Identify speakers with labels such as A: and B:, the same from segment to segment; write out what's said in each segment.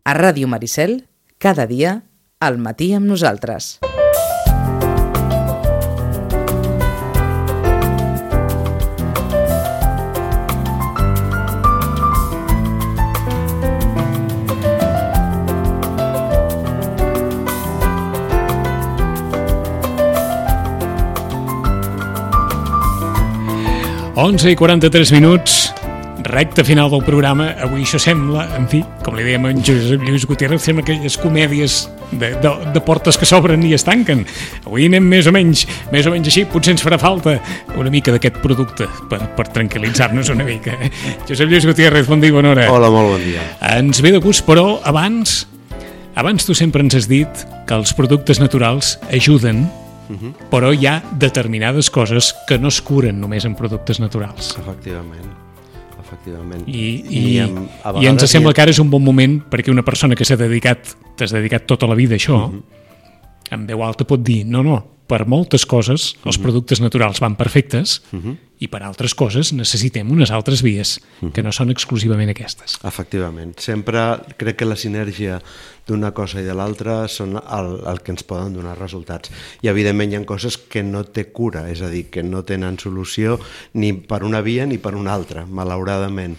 A: A Ràdio Maricel, cada dia, al matí amb nosaltres.
B: Onze i 43 minuts, recte final del programa. Avui això sembla, en fi, com li dèiem a en Josep Lluís Gutiérrez, sembla aquelles comèdies de portes que s'obren i es tanquen. Avui anem més o menys així. Potser ens farà falta una mica d'aquest producte per tranquil·litzar-nos una mica. Josep Lluís Gutiérrez, bon dia i bona hora.
C: Hola, molt bon dia.
B: Ens ve de gust, però abans tu sempre ens has dit que els productes naturals ajuden, però hi ha determinades coses que no es curen només amb productes naturals.
C: Efectivament.
B: I ens sembla que ara és un bon moment perquè una persona que t'has dedicat tota la vida a això, en veu alta pot dir, no, per moltes coses els productes naturals van perfectes i per altres coses necessitem unes altres vies que no són exclusivament aquestes.
C: Efectivament. Sempre crec que la sinergia d'una cosa i de l'altra són el que ens poden donar resultats. I evidentment hi ha coses que no té cura, és a dir, que no tenen solució ni per una via ni per una altra, malauradament.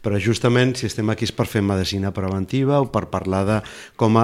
C: Però justament si estem aquí és per fer medicina preventiva o per parlar de com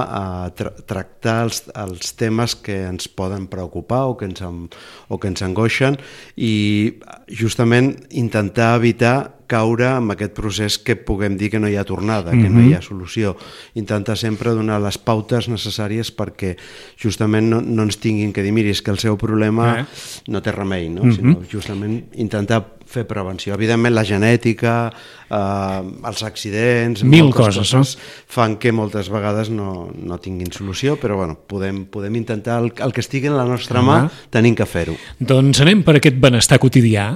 C: tractar els temes que ens poden preocupar o que ens angoixen i justament intentar evitar caure en aquest procés que puguem dir que no hi ha tornada, que no hi ha solució. Intentar sempre donar les pautes necessàries perquè justament no ens tinguin que dir, miri, és que el seu problema no té remei, no? Sinó justament intentar fer prevenció. Evidentment la genètica, els accidents, moltes coses fan que moltes vegades no tinguin solució, però bueno, podem intentar el que estigui en la nostra mà, tenim que fer-ho.
B: Doncs anem per aquest benestar quotidià.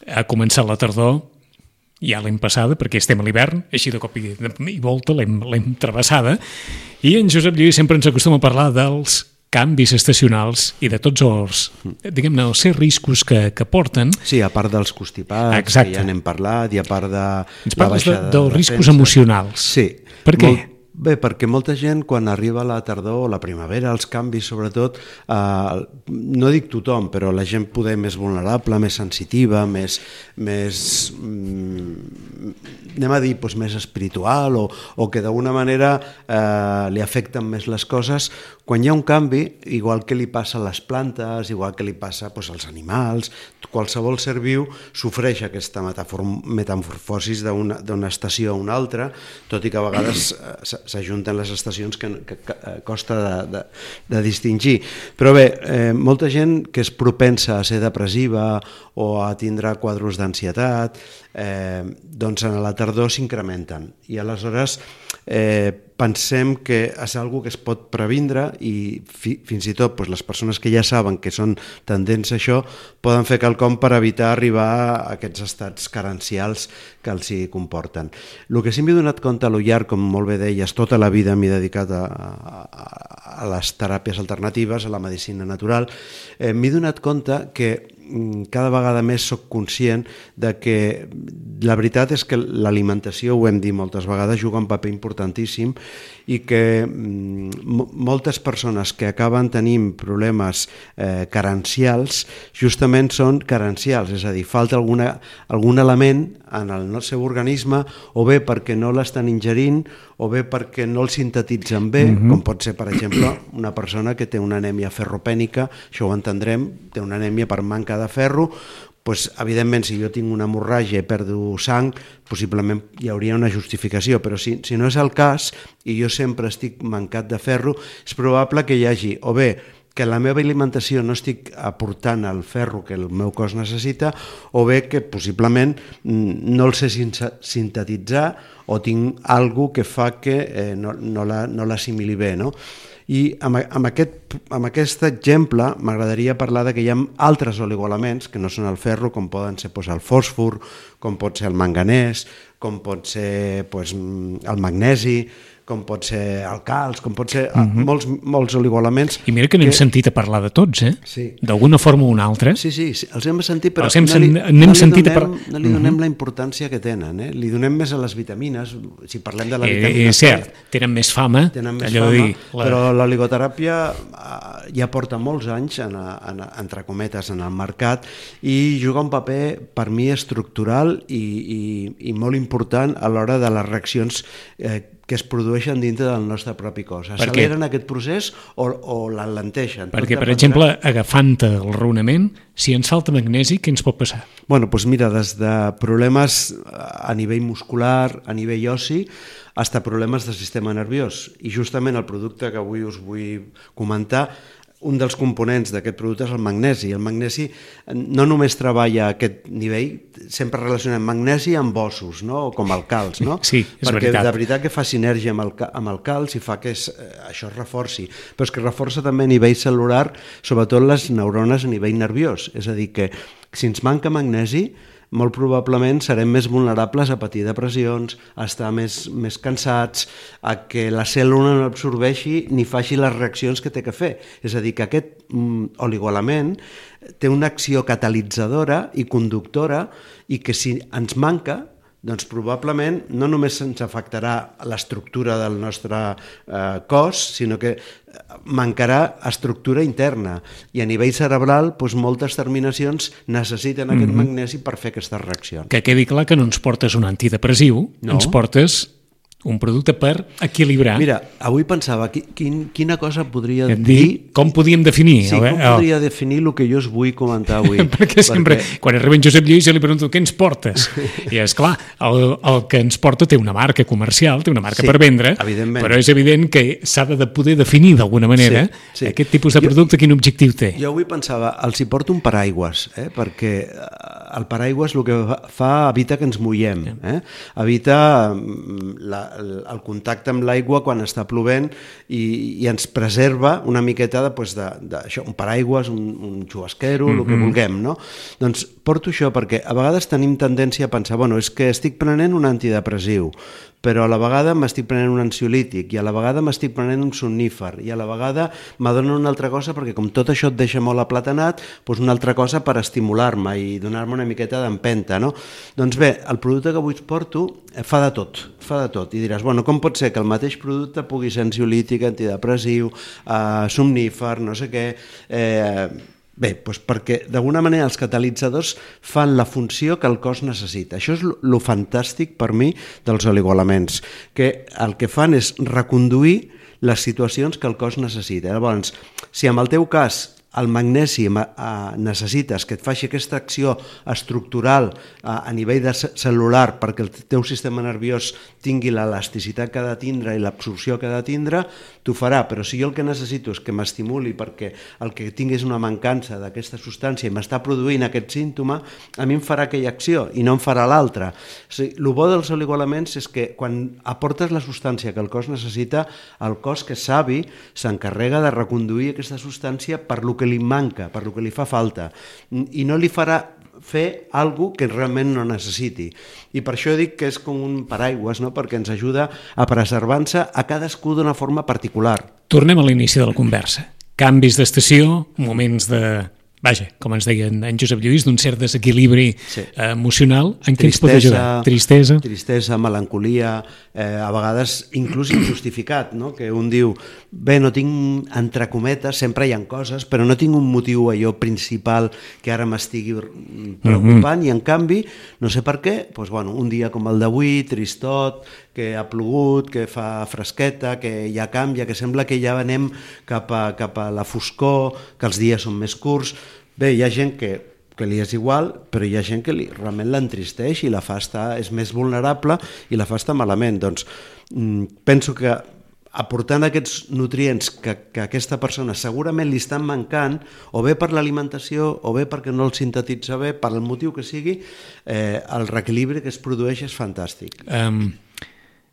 B: Ha començat la tardor, ja l'hem passada, perquè estem a l'hivern, així de cop i volta l'hem travessada, i en Josep Lluís sempre ens acostuma a parlar dels canvis estacionals i de tots els, diguem-ne, els riscos que porten.
C: Sí, a part dels constipats, que ja n'hem parlat, i a part de
B: ens parles dels riscos emocionals.
C: Sí.
B: Per què?
C: Bé, perquè molta gent, quan arriba la tardor o la primavera, els canvis, sobretot, no dic tothom, però la gent poder més vulnerable, més sensitiva, més anem a dir, més espiritual, o que d'alguna manera li afecten més les coses, quan hi ha un canvi, igual que li passa a les plantes, igual que li passa als animals, qualsevol ser viu sofreix aquesta metamorfosi d'una estació a una altra, tot i que a vegades s'ajunten les estacions que costa de distingir. Però bé, molta gent que és propensa a ser depressiva o a tindre quadros d'ansietat, doncs a la tardor s'incrementen. I aleshores pensem que és una cosa que es pot previndre i fins i tot les persones que ja saben que són tendents a això poden fer quelcom per evitar arribar a aquests estats carencials que els hi comporten. El que sí m'he donat compte a lo llarg, com molt bé deies, tota la vida m'he dedicat a les teràpies alternatives, a la medicina natural, m'he donat compte que cada vegada més soc conscient de que la veritat és que l'alimentació, ho hem dit moltes vegades, juga un paper importantíssim i que moltes persones que acaben tenint problemes carencials justament són carencials, és a dir, falta algun element en el seu organisme, o bé perquè no l'estan ingerint o bé perquè no el sintetitzen bé, com pot ser, per exemple, una persona que té una anèmia ferropènica, això ho entendrem, té una anèmia per manca de ferro, evidentment, si jo tinc una hemorràgia i perdo sang, possiblement hi hauria una justificació, però si no és el cas i jo sempre estic mancat de ferro, és probable que hi hagi o bé que la meva alimentació no estic aportant el ferro que el meu cos necessita, o bé que possiblement no el sé sintetitzar o tinc alguna cosa que fa que no l'assimili bé, no? I amb aquest exemple m'agradaria parlar que hi ha altres oligoelements que no són el ferro, com poden ser el fòsfor, com pot ser el manganès, com pot ser el magnesi, com pot ser alcals, com pot ser molts oligoelements.
B: I mira que n'hem sentit a parlar de tots,
C: Sí.
B: D'alguna forma o una altra.
C: Sí, els hem sentit, però no li donem la importància que tenen. Li donem més a les vitamines, si parlem de la vitamina
B: És cert, tenen més fama,
C: però l'oligoteràpia ja porta molts anys, entre cometes, en el mercat, i juga un paper, per mi, estructural i molt important a l'hora de les reaccions que es produeixen dintre del nostre propi cos. Acceleren aquest procés o l'alenteixen.
B: Perquè, per exemple, agafant el raonament, si ens falta magnesi, què ens pot passar?
C: Bueno, doncs mira, des de problemes a nivell muscular, a nivell ossi, fins a problemes del sistema nerviós. I justament el producte que avui us vull comentar, un dels components d'aquest producte és el magnesi. El magnesi no només treballa a aquest nivell, sempre relacionem magnesi amb ossos, no? O com el calç, no?
B: Sí, és
C: perquè
B: veritat.
C: De veritat que fa sinergia amb el calç i fa que això es reforci, però és que reforça també a nivell celular, sobretot les neurones a nivell nerviós. És a dir, que si ens manca magnesi, molt probablement serem més vulnerables a patir depressions, a estar més cansats, a que la cèl·lula no absorbeixi ni faci les reaccions que té que fer. És a dir, que aquest oligoelement té una acció catalitzadora i conductora i que si ens manca, doncs probablement no només ens afectarà l'estructura del nostre cos, sinó que mancarà estructura interna. I a nivell cerebral, doncs moltes terminacions necessiten aquest magnesi per fer aquestes reaccions.
B: Que quedi clar que no ens portes un antidepressiu, ens portes un producte per equilibrar.
C: Mira, avui pensava, quina cosa podria dir...
B: Com podíem definir?
C: Sí, com podria definir el que jo us vull comentar avui?
B: Perquè sempre, quan arriba en Josep Lluís, jo li pregunto, què ens portes? I és clar, el que ens porta té una marca comercial, té una marca per vendre, però és evident que s'ha de poder definir d'alguna manera aquest tipus de producte, quin objectiu té.
C: Jo avui pensava, els hi porto un paraigües, perquè el paraigües el que fa evita que ens mullem, evita el contacte amb l'aigua quan està plovent i ens preserva una miqueta d'això, un paraigües, un xubasquero, el que vulguem, no? Doncs porto això perquè a vegades tenim tendència a pensar, bueno, és que estic prenent un antidepressiu, però a la vegada m'estic prenent un ansiolític i a la vegada m'estic prenent un somnífer i a la vegada m'adono una altra cosa perquè com tot això et deixa molt aplatanat, doncs una altra cosa per estimular-me i donar-me una miqueta d'empenta, no? Doncs bé, el producte que avui us porto fa de tot. I diràs, bueno, com pot ser que el mateix producte pugui ser ansiolític, antidepressiu, somnífer, no sé què... Bé, doncs perquè d'alguna manera els catalitzadors fan la funció que el cos necessita. Això és el fantàstic per mi dels oligoelements, que el que fan és reconduir les situacions que el cos necessita. Llavors, si en el teu cas el magnesi necessites que et faci aquesta acció estructural a nivell cel·lular perquè el teu sistema nerviós tingui l'elasticitat que ha de tindre i l'absorció que ha de tindre, t'ho farà, però si jo el que necessito és que m'estimuli perquè el que tinguis una mancança d'aquesta substància i m'està produint aquest símptoma, a mi em farà aquella acció i no em farà l'altra. O sigui, el bo dels oligoelements és que quan aportes la substància que el cos necessita, el cos, que és savi, s'encarrega de reconduir aquesta substància per lo que li manca, per lo que li fa falta, i no li farà fer alguna que realment no necessiti. I per això dic que és com un paraigües, no? Perquè ens ajuda a preservar-se a cadascú d'una forma particular.
B: Tornem a l'inici de la conversa. Canvis d'estació, moments de... Vaja, com ens deia en Josep Lluís, d'un cert desequilibri emocional. En què ens pot ajudar?
C: Tristesa, melancolia, a vegades inclús injustificat, no? Que un diu, bé, no tinc, entre cometes, sempre hi ha coses, però no tinc un motiu allò principal que ara m'estigui preocupant, i en canvi, no sé per què, doncs, bueno, un dia com el d'avui, tristot, que ha plogut, que fa fresqueta, que ja canvia, que sembla que ja anem cap a la foscor, que els dies són més curts. Bé, hi ha gent que li és igual, però hi ha gent que realment l'entristeix i la fa estar, és més vulnerable i la fa estar malament. Doncs penso que aportant aquests nutrients que aquesta persona segurament li estan mancant, o bé per l'alimentació, o bé perquè no el sintetitza bé, per el motiu que sigui, el reequilibri que es produeix és fantàstic.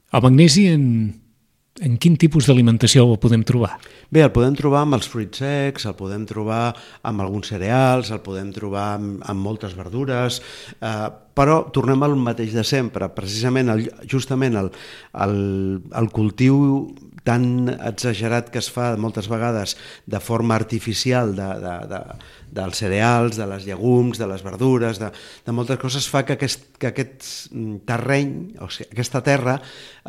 B: El magnesi en quin tipus d'alimentació el podem trobar?
C: Bé, el podem trobar amb els fruits secs, el podem trobar amb alguns cereals, el podem trobar amb moltes verdures, però tornem al mateix de sempre. Precisament, justament el cultiu tan exagerat que es fa moltes vegades de forma artificial dels cereals, de les llegums, de les verdures, de moltes coses, fa que aquest terreny, o sigui, aquesta terra,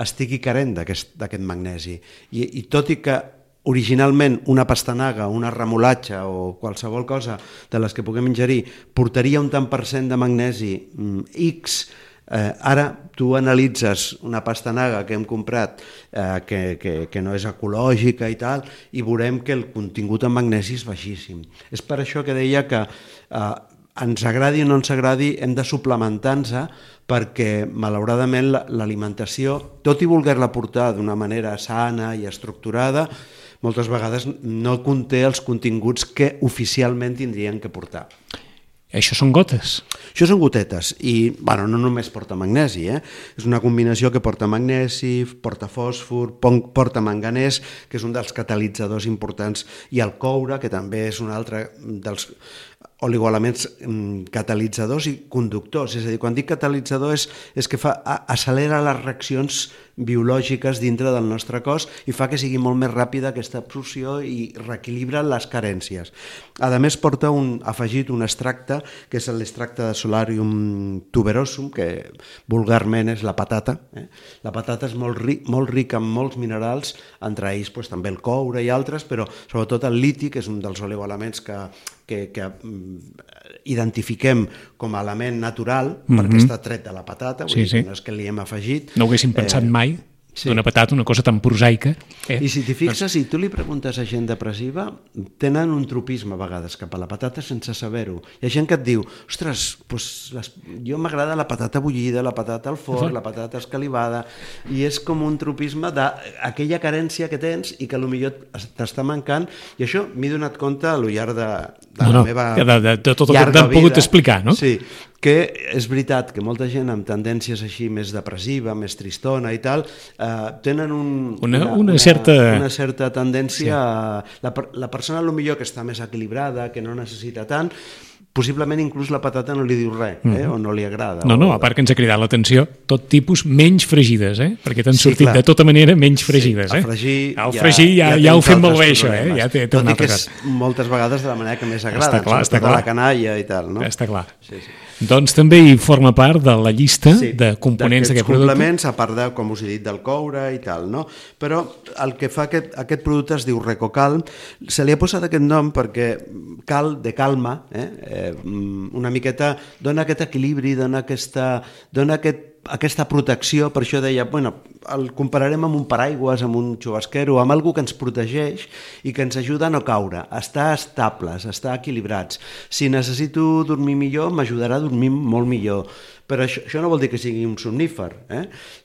C: estigui carent d'aquest magnesi. I tot i que originalment una pastanaga, una remolatxa o qualsevol cosa de les que puguem ingerir portaria un tant per cent de magnesi X, ara tu analitzes una pastanaga que hem comprat que no és ecològica i tal, i veurem que el contingut en magnesi és baixíssim. És per això que deia que ens agradi o no ens agradi, hem de suplementar-nos, perquè malauradament l'alimentació, tot i voler-la portar d'una manera sana i estructurada, moltes vegades no conté els continguts que oficialment tindrien que portar.
B: Això són gotes?
C: Això són gotetes i no només porta magnesi, és una combinació que porta magnesi, porta fòsfor, porta manganès, que és un dels catalitzadors importants, i el coure, que també és un altre dels oligoelements catalitzadors i conductors. És a dir, quan dic catalitzador és que accelera les reaccions biològiques dintre del nostre cos i fa que sigui molt més ràpida aquesta absorció i reequilibra les carències. A més, porta afegit un extracte, que és l'extracte de Solarium tuberosum, que vulgarment és la patata. La patata és molt rica en molts minerals, entre ells també el coure i altres, però sobretot el liti, que és un dels oligoelements que identifiquem com a element natural, perquè està tret de la patata, vull dir que no és que li hem afegit.
B: No ho haguéssim pensat mai, d'una patata, una cosa tan prosaica.
C: I si t'hi fixes, si tu li preguntes a gent depressiva, tenen un tropisme a vegades cap a la patata sense saber-ho. Hi ha gent que et diu, ostres, jo m'agrada la patata bullida, la patata al forn, la patata escalivada, i és com un tropisme d'aquella carència que tens i que potser t'està mancant, i això m'he donat compte al llarg de la meva
B: de tot el que t'han pogut explicar, no?
C: Sí, que és veritat que molta gent amb tendències així més depressiva, més tristona i tal, tenen una certa tendència a... La persona potser que està més equilibrada, que no necessita tant, possiblement inclús la patata no li diu res, o no li agrada.
B: No, a part que ens ha cridat l'atenció, tot tipus menys fregides, perquè t'han sortit de tota manera menys fregides.
C: El
B: fregir ja ho fem molt bé, això.
C: Tot i que és moltes vegades de la manera que més agrada, sobretot a la canalla i tal.
B: Està clar. Doncs també hi forma part de la llista de components d'aquest producte.
C: Complements, a part de, com us he dit, del coure i tal, no? Però el que fa aquest producte es diu RecoCalm. Se li ha posat aquest nom perquè de calma, una miqueta dona aquest equilibri, dona aquesta protecció. Per això deia, el compararem amb un paraigües, amb un xubasquero, amb algú que ens protegeix i que ens ajuda a no caure, a estar estables, a estar equilibrats. Si necessito dormir millor, m'ajudarà a dormir molt millor. Però això no vol dir que sigui un somnífer.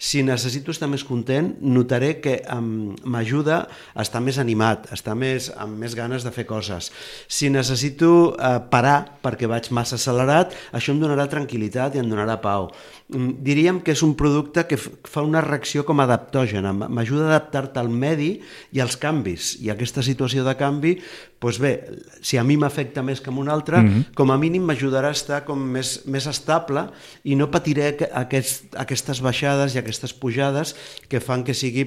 C: Si necessito estar més content, notaré que m'ajuda a estar més animat, a estar amb més ganes de fer coses. Si necessito parar perquè vaig massa accelerat, això em donarà tranquil·litat i em donarà pau. Diríem que és un producte que fa una reacció com adaptògena, m'ajuda a adaptar-te al medi i als canvis. I aquesta situació de canvi, doncs bé, si a mi m'afecta més que a un altre, com a mínim m'ajudarà a estar com més estable i no patiré aquestes baixades i aquestes pujades que fan que sigui,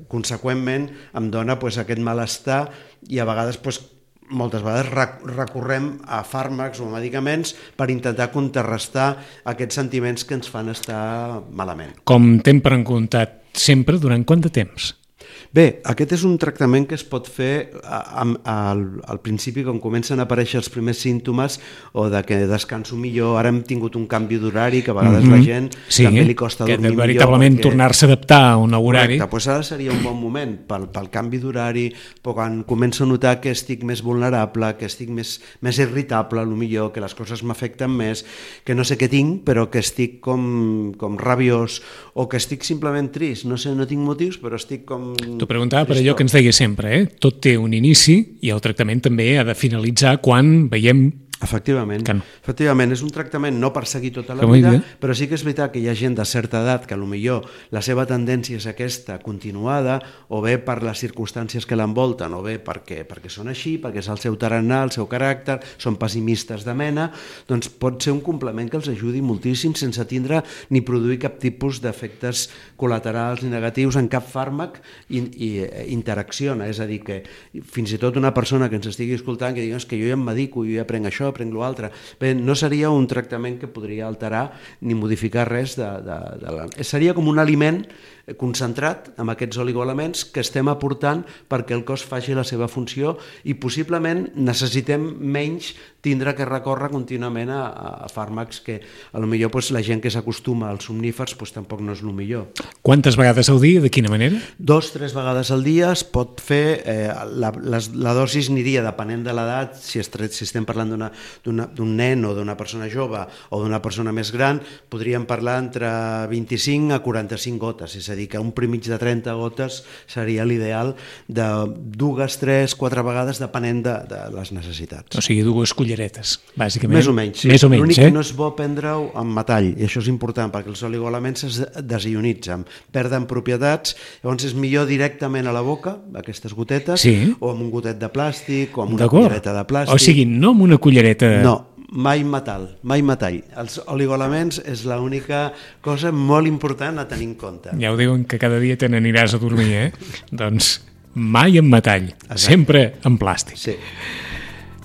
C: conseqüentment, em dona aquest malestar i a vegades, moltes vegades recorrem a fàrmacs o medicaments per intentar contrarrestar aquests sentiments que ens fan estar malament.
B: Com t'hem preguntat sempre, durant quant de temps?
C: Bé, aquest és un tractament que es pot fer al principi, quan comencen a aparèixer els primers símptomes o de que descanso millor. Ara hem tingut un canvi d'horari que a vegades la gent també li costa dormir millor.
B: Que veritablement tornar-se a adaptar a un horari.
C: Correcte, doncs ara seria un bon moment pel canvi d'horari, però quan començo a notar que estic més vulnerable, que estic més irritable, potser que les coses m'afecten més, que no sé què tinc, però que estic com rabiós o que estic simplement trist. No sé, no tinc motius, però estic com...
B: T'ho preguntava per allò que ens deia sempre, tot té un inici i el tractament també ha de finalitzar quan veiem
C: Efectivament.
B: Que no.
C: Efectivament, és un tractament no per seguir tota la
B: Que
C: vida,
B: bé.
C: però sí que és veritat que hi ha gent de certa edat que potser la seva tendència és aquesta continuada, o bé per les circumstàncies que l'envolten, o bé perquè són així, perquè és el seu tarannà, el seu caràcter, són pessimistes de mena, doncs pot ser un complement que els ajudi moltíssim sense tindre ni produir cap tipus d'efectes col·laterals ni negatius en cap fàrmac i interacciona, és a dir, que fins i tot una persona que ens estigui escoltant que digui que jo ja em medico, jo ja prenc això, prenc l'altre. Bé, no seria un tractament que podria alterar ni modificar res seria com un aliment concentrat amb aquests oligoelements que estem aportant perquè el cos faci la seva funció i possiblement necessitem menys tindre que recórrer contínuament a fàrmacs que potser la gent que s'acostuma als somnífers tampoc no és el millor.
B: Quantes vegades al dia, de quina manera?
C: 2-3 vegades al dia es pot fer, la dosis aniria depenent de l'edat, si estem parlant d'un nen o d'una persona jove o d'una persona més gran, podríem parlar entre 25 a 45 gotes, és a dir, que un primig de 30 gotes seria l'ideal de 2, 3, 4 vegades depenent de les necessitats.
B: O sigui, 2 culleretes, bàsicament.
C: Més o menys, sí.
B: Més o menys,
C: l'únic que no és bo prendre-ho amb metall, i això és important perquè els oligoelements es desionitzen, perden propietats, llavors és millor directament a la boca, aquestes gotetes,
B: sí.
C: O amb un gotet de plàstic, o amb una cullereta de plàstic.
B: O sigui, no amb una cullereta...
C: No, mai metall. Els oligoelements és l'única cosa molt important a tenir en compte.
B: Ja ho diuen que cada dia te n'aniràs a dormir, Doncs mai en metall,
C: exacte.
B: Sempre en plàstic.
C: Sí.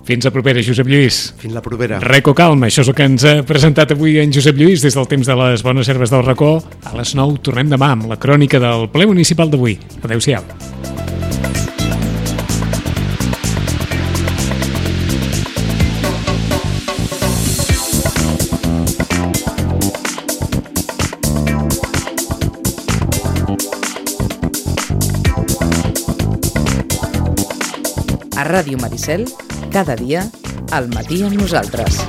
B: Fins a propera, Josep Lluís.
C: Fins la propera.
B: Reco Calma, això és el que ens ha presentat avui en Josep Lluís des del temps de les bones herbes del racó. A les 9 tornem demà amb la crònica del ple municipal d'avui. Adéu-siau.
A: A Ràdio Maricel, cada dia, al matí amb nosaltres.